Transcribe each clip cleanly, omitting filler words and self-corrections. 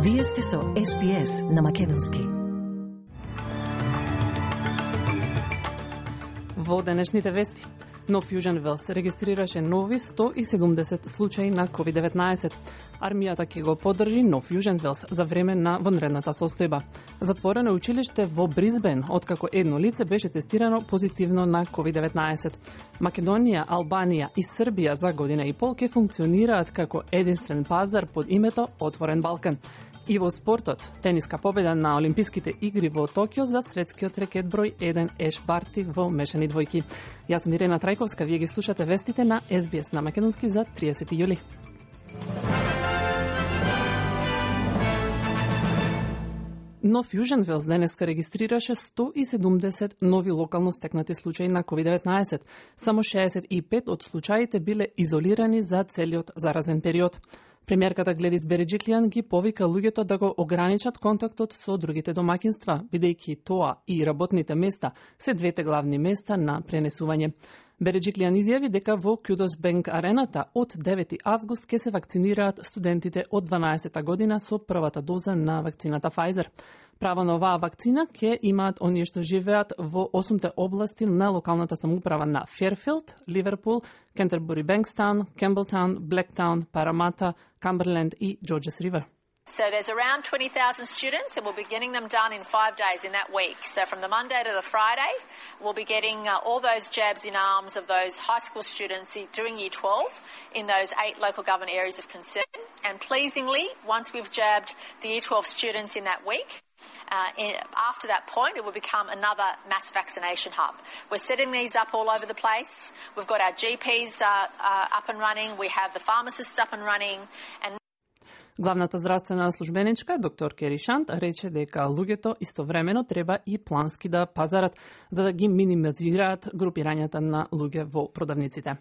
Вие сте со SPS на македонски. Во денешните вести, но Fusion Wells регистрираше нови 170 случаи на COVID-19. Армијата ќе го поддржи нов Fusion Wells за време на вонредната состојба. Затворено училиште во Бризбен, откако едно лице беше тестирано позитивно на COVID-19. Македонија, Албанија и Србија за година и пол ќе функционираат како единствен пазар под името Отворен Балкан. И во спортот, тениска победа на Олимписките игри во Токио за светскиот рекет број 1 Еш Барти во мешани двојки. Јас сум Ирена Трајковска, вие ги слушате вестите на SBS на македонски за 30 јули. Но Fusion Wells денеска регистрираше 170 нови локално стекнати случаи на COVID-19. Само 65 од случаите биле изолирани за целиот заразен период. Премиерката Гледис Береджиклијан ги повика луѓето да го ограничат контактот со другите домакинства, бидејќи тоа и работните места се двете главни места на пренесување. Береджиклијан изјави дека во Кюдос Бенк арената од 9 август ќе се вакцинираат студентите од 12-та година со првата доза на вакцината Pfizer. Право на оваа вакцина ќе имаат оние што живеат во 8 области на локалната самоуправа на Ферфилд, Ливерпул, Кентербури Бенкстаун, Кемблтаун, Блектаун, Парамата, Камберленд и Джорджес Ривер. So there's around 20,000 students, and we'll be getting them done in 5 days in that week. So from the Monday to the Friday, we'll be getting all those jabs in arms of those high school students doing Year 12 in those 8 local government areas of concern. And pleasingly, once we've jabbed the Year 12 students in that week, after that point, it will become another mass vaccination hub. We're setting these up all over the place. We've got our GPs up and running. We have the pharmacists up and running. And главната здравствена службеничка, доктор Кери Шант, рече дека луѓето истовремено треба и плански да пазарат, за да ги минимизираат групирањата на луѓе во продавниците.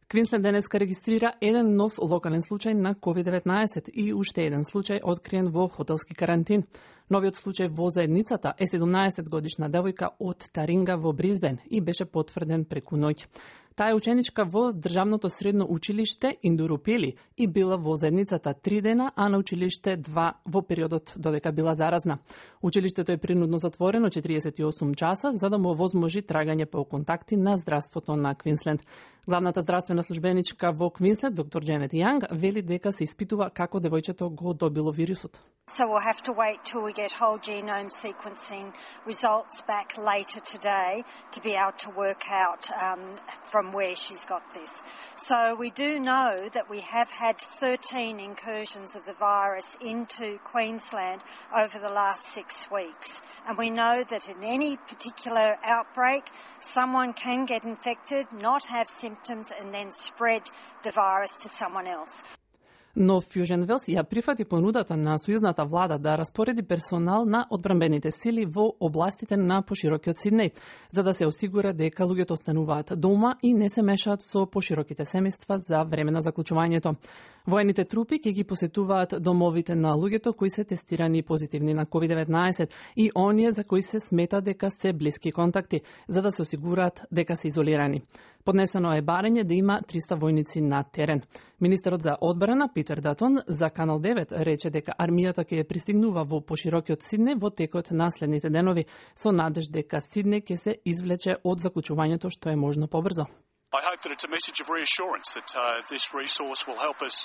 Квинсленд денеска регистрира еден нов локален случај на COVID-19 и уште еден случај откриен во хотелски карантин. Новиот случај во заедницата е 17 годишна девојка од Таринга во Бризбен и беше потврден преку ноќ. Таа е ученичка во државното средно училиште Индурупели и била во заедницата 3 дена, а на училиште 2 во периодот додека била заразна. Училиштето е принудно затворено 48 часа за да му овозможи трагање по контакти на здравството на Квинсленд. Главната здравствена службеничка во Квинсленд, доктор Дженет Јанг, вели дека се испитува како девојчето го добило вирусот. So we'll have to wait till we get whole genome sequencing results back later today to be able to work out from where she's got this. So we do know that we have had 13 incursions of the virus into Queensland over the last 6 weeks. And we know that in any particular outbreak, someone can get infected, not have symptoms, and then spread the virus to someone else. Но Fusion Wells ја прифати понудата на сојузната влада да распореди персонал на одбранбените сили во областите на поширокиот Сиднеј, за да се осигура дека луѓето остануваат дома и не се мешаат со пошироките семејства за време на заклучувањето. Воените трупи ќе ги посетуваат домовите на луѓето кои се тестирани позитивни на COVID-19 и оние за кои се смета дека се блиски контакти, за да се осигураат дека се изолирани. Поднесено е барање да има 300 војници на терен. Министерот за одбрана Питер Датон за Канал 9 рече дека армијата ќе пристигнува во поширокиот Сиднеј во текот на следните денови со надеж дека Сиднеј ќе се извлече од заклучувањето што е можно побрзо. I hope that it's a message of reassurance that this resource will help us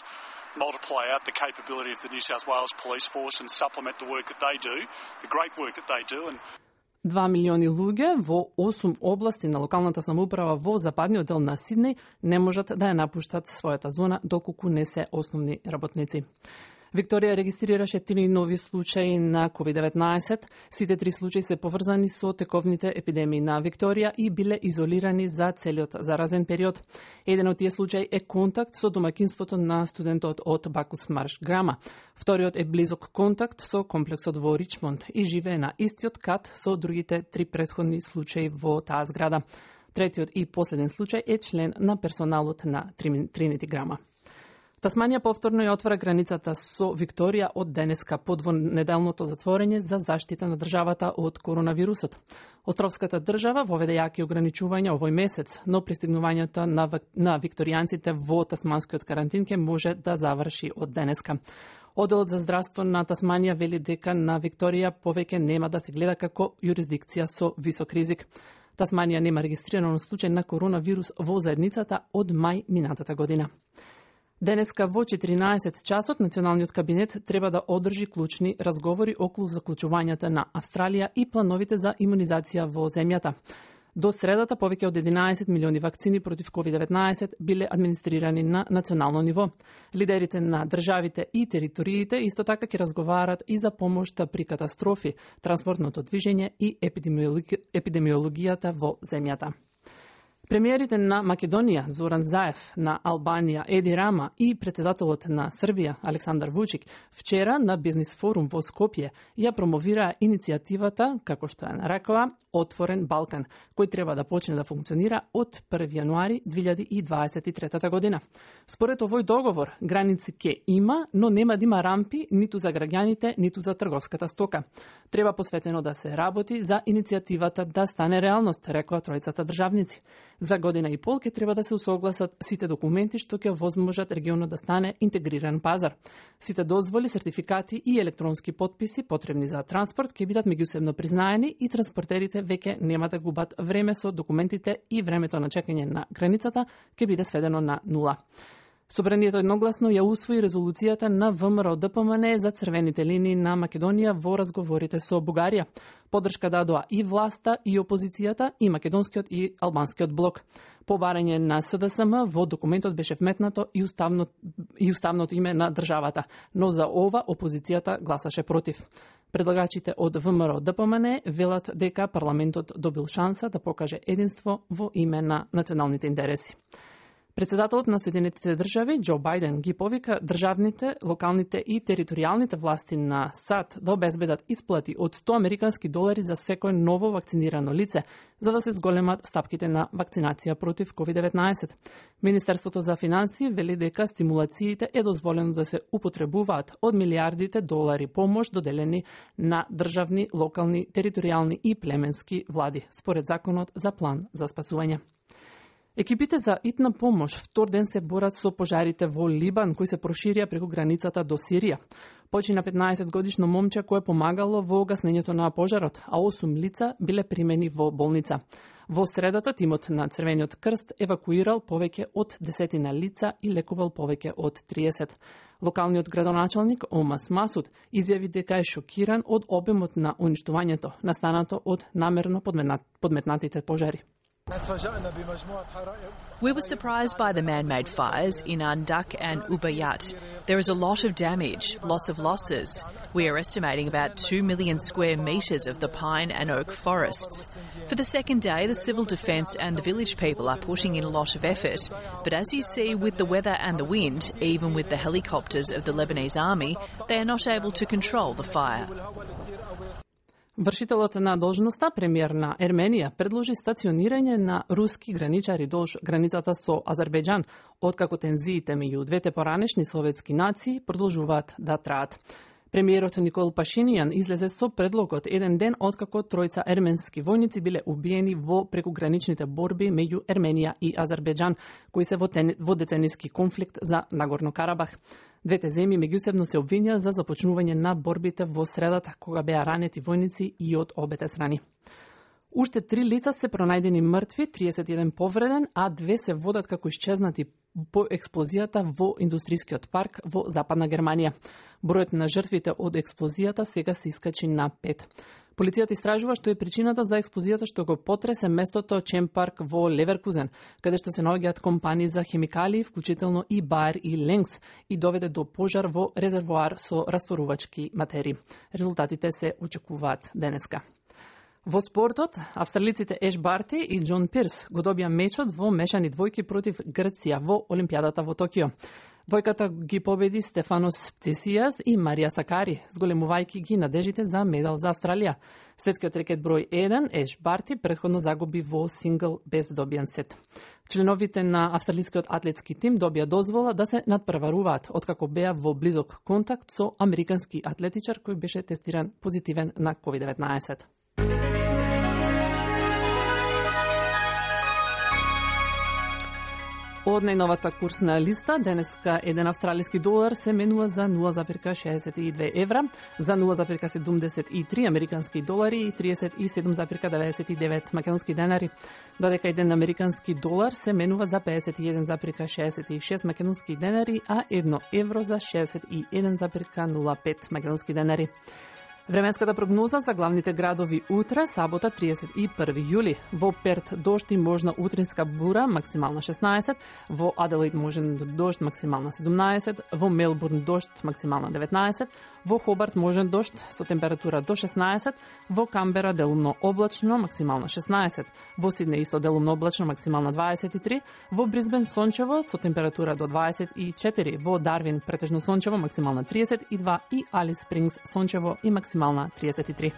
multiply out the capability of the New South Wales Police Force and supplement the work that they do, the great work that they do. 2 милиони луѓе во 8 области на локалната самоуправа во западниот дел на Сиднеј не можат да ја напуштат својата зона доколку не се основни работници. Викторија регистрираше 3 нови случаи на COVID-19. Сите 3 случаи се поврзани со тековните епидемии на Викторија и биле изолирани за целиот заразен период. Еден од тие случаи е контакт со домакинството на студентот од Бакус Марш Грама. Вториот е близок контакт со комплексот во Ричмонд и живее на истиот кат со другите 3 претходни случаи во таа зграда. Третиот и последен случај е член на персоналот на Тринити Грама. Тасманија повторно ја отвора границата со Викторија од денеска по двонеделното затворење за заштита на државата од коронавирусот. Островската држава воведе јаки ограничувања овој месец, но пристигнувањето на викторијанците во тасманскиот карантин ќе може да заврши од денеска. Оделот за здравство на Тасманија вели дека на Викторија повеќе нема да се гледа како јурисдикција со висок ризик. Тасманија нема регистриран случај на коронавирус во заедницата од мај минатата година. Денеска во 14 часот Националниот кабинет треба да одржи клучни разговори околу заклучувањата на Австралија и плановите за имунизација во земјата. До средата повеќе од 11 милиони вакцини против COVID-19 биле администрирани на национално ниво. Лидерите на државите и териториите исто така ќе разговарат и за помошта при катастрофи, транспортното движење и епидемиологијата во земјата. Премиерите на Македонија Зоран Заев, на Албанија Еди Рама и председателот на Србија Александар Вучик вчера на бизнис форум во Скопје ја промовираа иницијативата, како што ја нарекоа, Отворен Балкан, кој треба да почне да функционира од 1 јануари 2023 година. Според овој договор, граници ќе има, но нема да има рампи ниту за граѓаните, ниту за трговската стока. Треба посветено да се работи за иницијативата да стане реалност, рекоа тројцата државници. За година и пол ќе треба да се усогласат сите документи што ќе овозможат регионот да стане интегриран пазар. Сите дозволи, сертификати и електронски потписи потребни за транспорт ќе бидат меѓусебно признаени и транспортерите веќе нема да губат време со документите и времето на чекање на границата ќе биде сведено на нула. Собранието едногласно ја усвои резолуцијата на ВМРО ДПМН за црвените линии на Македонија во разговорите со Бугарија. Поддршка дадоа и власта, и опозицијата, и македонскиот и албанскиот блок. По барање на СДСМ во документот беше вметнато и уставното име на државата, но за ова опозицијата гласаше против. Предлагачите од ВМРО ДПМН велат дека парламентот добил шанса да покаже единство во име на националните интереси. Председателот на Соединетите држави Џо Бајден ги повика државните, локалните и територијалните власти на САД да обезбедат исплати од $100 за секој ново вакцинирано лице, за да се зголемат стапките на вакцинација против COVID-19. Министерството за финансии вели дека стимулациите е дозволено да се употребуваат од милиардите долари помош доделени на државни, локални, територијални и племенски влади, според законот за план за спасување. Екипите за итна помош втор ден се борат со пожарите во Либан, кои се проширија преку границата до Сирија. Почина 15-годишно момче кое помагало во гаснењето на пожарот, а 8 лица биле примени во болница. Во средата, тимот на Црвениот крст евакуирал повеќе од 10 лица и лекувал повеќе од 30. Локалниот градоначалник Омас Масуд изјави дека е шокиран од обемот на уништувањето, настанато од намерно подметнатите пожари. We were surprised by the man-made fires in Andak and Ubayat. There is a lot of damage, lots of losses. We are estimating about 2 million square metres of the pine and oak forests. For the second day, the civil defence and the village people are putting in a lot of effort. But as you see, with the weather and the wind, even with the helicopters of the Lebanese army, they are not able to control the fire. Вршителот на должноста, премиер на Ерменија, предложи стационирање на руски граничари долж границата со Азербејџан, откако тензиите меѓу двете поранешни советски нации продолжуваат да траат. Премиерот Никол Пашинијан излезе со предлогот еден ден откако тројца ерменски војници биле убиени во прекуграничните борби меѓу Ерменија и Азербејџан, кои се во децениски конфликт за Нагорно Карабах. Двете земји меѓусебно се обвинија за започнување на борбите во средата, кога беа ранети војници и од обете страни. Уште 3 лица се пронајдени мртви, 31 повреден, а 2 се водат како исчезнати по експлозијата во индустријскиот парк во Западна Германија. Бројот на жртвите од експлозијата сега се искачи на 5. Полицијата истражува што е причината за експлозијата што го потресе местото Чемпарк во Леверкузен, каде што се наоѓаат компании за хемикалии, вклучително и Bayer и Lenz, и доведе до пожар во резервоар со растворувачки материи. Резултатите се очекуваат денеска. Во спортот, австралиците Еш Барти и Џон Пирс го добија мечот во мешани двојки против Грција во Олимпијадата во Токио. Двојката ги победи Стефанос Цесијас и Марија Сакари, зголемувајќи ги надежите за медал за Австралија. Светскиот рекет број 1, Еш Барти, претходно загуби во сингл без добиен сет. Членовите на австралискиот атлетски тим добија дозвола да се надпреваруваат, откако беа во близок контакт со американски атлетичар кој беше тестиран позитивен на COVID-19. Од најновата курсна листа, денеска еден австралиски долар се менува за 0,62 евра, за 0,73 американски долари и 37,99 македонски денари, додека еден американски долар се менува за 51,66 македонски денари, а 1 евро за 61,05 македонски денари. Временската прогноза за главните градови утре, сабота 31 јули. Во Перт дожд и можна утринска бура, максимална 16, во Аделаид можен дожд, максимална 17, во Мелбурн дожд, максимална 19, во Хобарт можен дожд со температура до 16, во Камбера делумно облачно, максимална 16, во Сиднеј исто делумно облачно, максимална 23, во Брисбен сончево со температура до 24, во Дарвин претежно сончево, максимална 32 и Алис Спрингс сончево и максимална 33.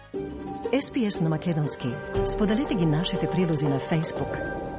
SPS на македонски. Споделете ги нашите прилози на Facebook.